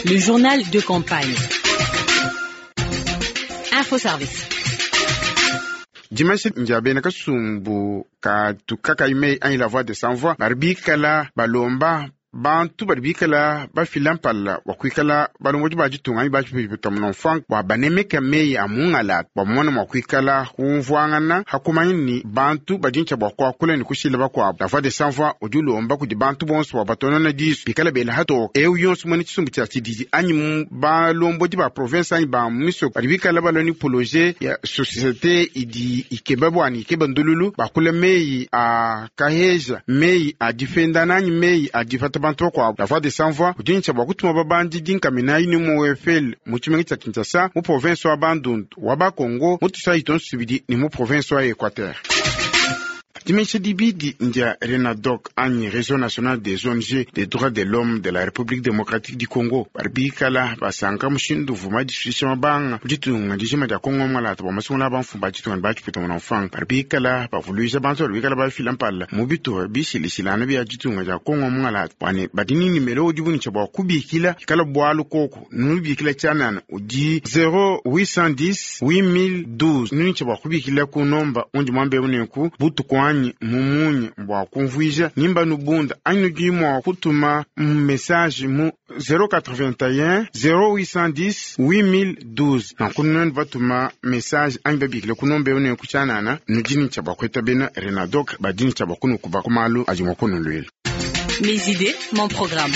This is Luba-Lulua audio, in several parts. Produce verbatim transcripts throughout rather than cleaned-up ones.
Le journal de campagne. Info Service. Dimanche ndia bena kasumbu katu kakayi meyi anyi La Voix des Sans Voix badi bikala balomba bantu badi bikala bafila mpala bua kuikala balombodi ba ditunga anyi bapita mfrank bua banemeka meyi a mungala bua mumona mua kuikala kumvuangana hakumanya ni bantu badi ntshia bua kuakula ne kushila bakuabu. La Voix des Sans Voix udi ulomba kudi bantu bonso bua batonona disu bikala bela hatoka eu yonso muena tshisumbu tshia tshididi anyi mu balombodi ba province anyi ba misoko badi bikala balua ni projet ya société idi ikeba bua ikeba ndululu bakula meyi a kaheja, meyi a difendana anyi meyi a dipata bantu bakuabu. La Voix des Sans Voix udi ntshia bua kutuma babandi dinkaminayi ni mu F L mu tshimenga tshia Kinshasa, mu province wa Bandundu, wa Bakongo, mu Tusayi tonso tubidi ne mu province wa Equateur. Dimesha dibidi ndia RENADOC anyi Réseau national des O N G des droits de l'homme de la République démocratique du Congo badi bikala basanka mushindu uvuma disuisha mabanga mu ditunga dijima dia Kongo mwalata bua masungula bamfumu ba ditunga ne bakipita muna mfanga badi bikala bavuluija bantu badi bikala bafila mpala mu bituha bishilishilana bia ditunga dia Kongo mwalata bua badi ni nimero udi bunitsha bua kubikila ikala bualu koko nubikila tshianana udi zéro huit cent dix huit mille douze nunitsha bua kubikila ku nomba undi mwambe uneku butuku anyi mumunyi bua kumvuija nimba nubunda anyi nudi mua kutuma message mu zéro quatre-vingt-un zéro huit cent dix huit mille douze nanku nenu batuma message anyi babikile ku nomba uneku tshianana nudi nitsha bua kueta bena RENADOC badi nitsha bua kunukuba ku malu adi mua kunuluila. Mes idées, mon programme.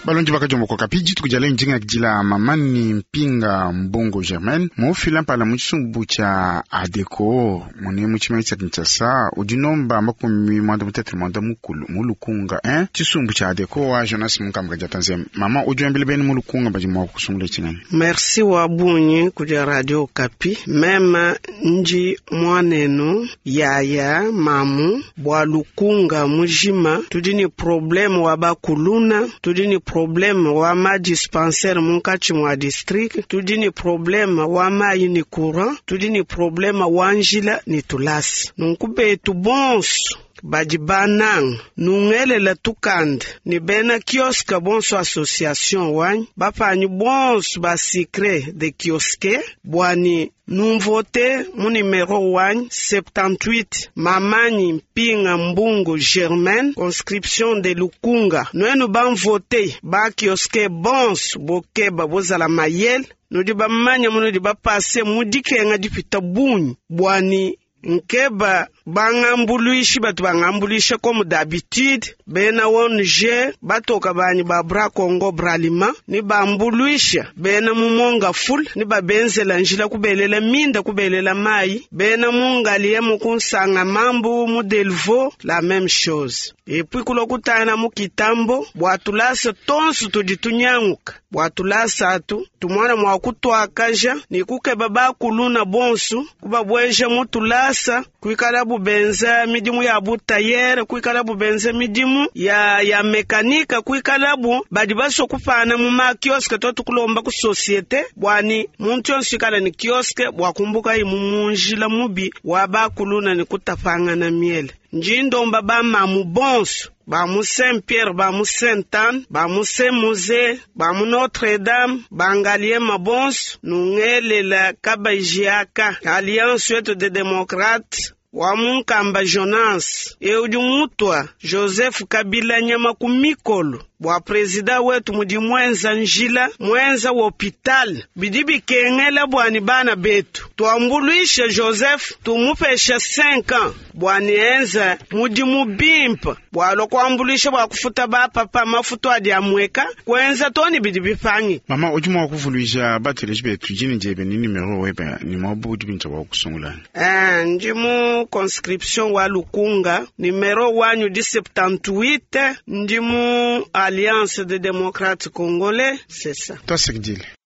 Balondi bakajomboka kapi dituku dia lelo ndinga dila mamani Mpinga Mbongo Germaine mufila mpala mu tshisumbu tshia ADECO mune mu tshimenga tshia Kinshasa udi nomba makumi mwanda mutetele mwanda mukulu mu Lukunga hein tshisumbu tshia ADECO wa Jonas Munkamba dia Tanzania mama udi wambile bene mu Lukunga badi mua kusungula tshinani. Merci wa bungi kudi Radio Okapi. Meme nji mwanenu yaya mamu bua Lukunga mujima. Tudi ni problème wa bakuluna, tudi ni problème wa ma dispensaire munkatshi mua district, tudi ni problème wa mayi ni courant, tudi ni problème wa njila ni tulasa. Nunku betu bonso badi bananga nungelela tukanda ni bena kiosque bonso association wanyi bapanyi bonso ba sucre de kiosque bwani numvote mu numero wanyi soixante-dix-huit Mamanyi Mpinga Mbungu Germaine, conscription de Lukunga. Nwenu bamvote ba kiosque bonso bokeba bozala mayele nudi bamanya munudi bapase mudikenga dipita bunyi bwani nkeba bangambuluishi batu bangambuluisha comme d'habitude bena O N G batoka banyi ba Bra Congo Bralima ni bambuluisha bena mumonga ful ni babenzela njila kubelela minda kubelela mai bena mungalie mukunsanga mambu mu Delvaux, la même chose. Et puis kulo kutana mu Kitambo bua tulasa tonso tudi tunyanguka bua tulasa atu tumwana mua kutwakaja ni kukeba bakuluna bonso kubabweja mu tulasa kuikala bubenza midimu ya butayere kuikala bubenza midimu ya, ya mekanika kuikala bu badi baso kupana mu makiosque to tukulomba ku société bwani muntu yonso ikala ni kiosque bua kumbuka imu munjila mubi wa bakuluna ni kutapangana miele. Njindomba bamamu bonso ba mu Saint Pierre, ba mu Saint Anne, ba mu Saint Musée, ba mu Notre Dame, bangaliema bonso nungelela kabajiaka alliance yetu de démocrate wa munkamba Jonas eudi mutwa Joseph Kabila nyama ku mikolo bua président wetu mudi mwenza njila mwenza wa hôpital bidi bikengela bwani bana betu tuambuluishe Joseph tumupesha cinq ans bwani enza mudimu bimpa bwalo kuambuluisha bua kufuta bapapa mafutu adi amweka kwenza toni bidi bipangi. Mama udi mua kuvuluija bateleji betu dina diebe ni numero webe ni muabu udi bintu bua kusungula. Eh, ndi mu conscription wa Lukunga, numero wanyu di soixante-dix-huit, ndi mu Alliance des démocrates congolais, c'est ça. Twasekidile.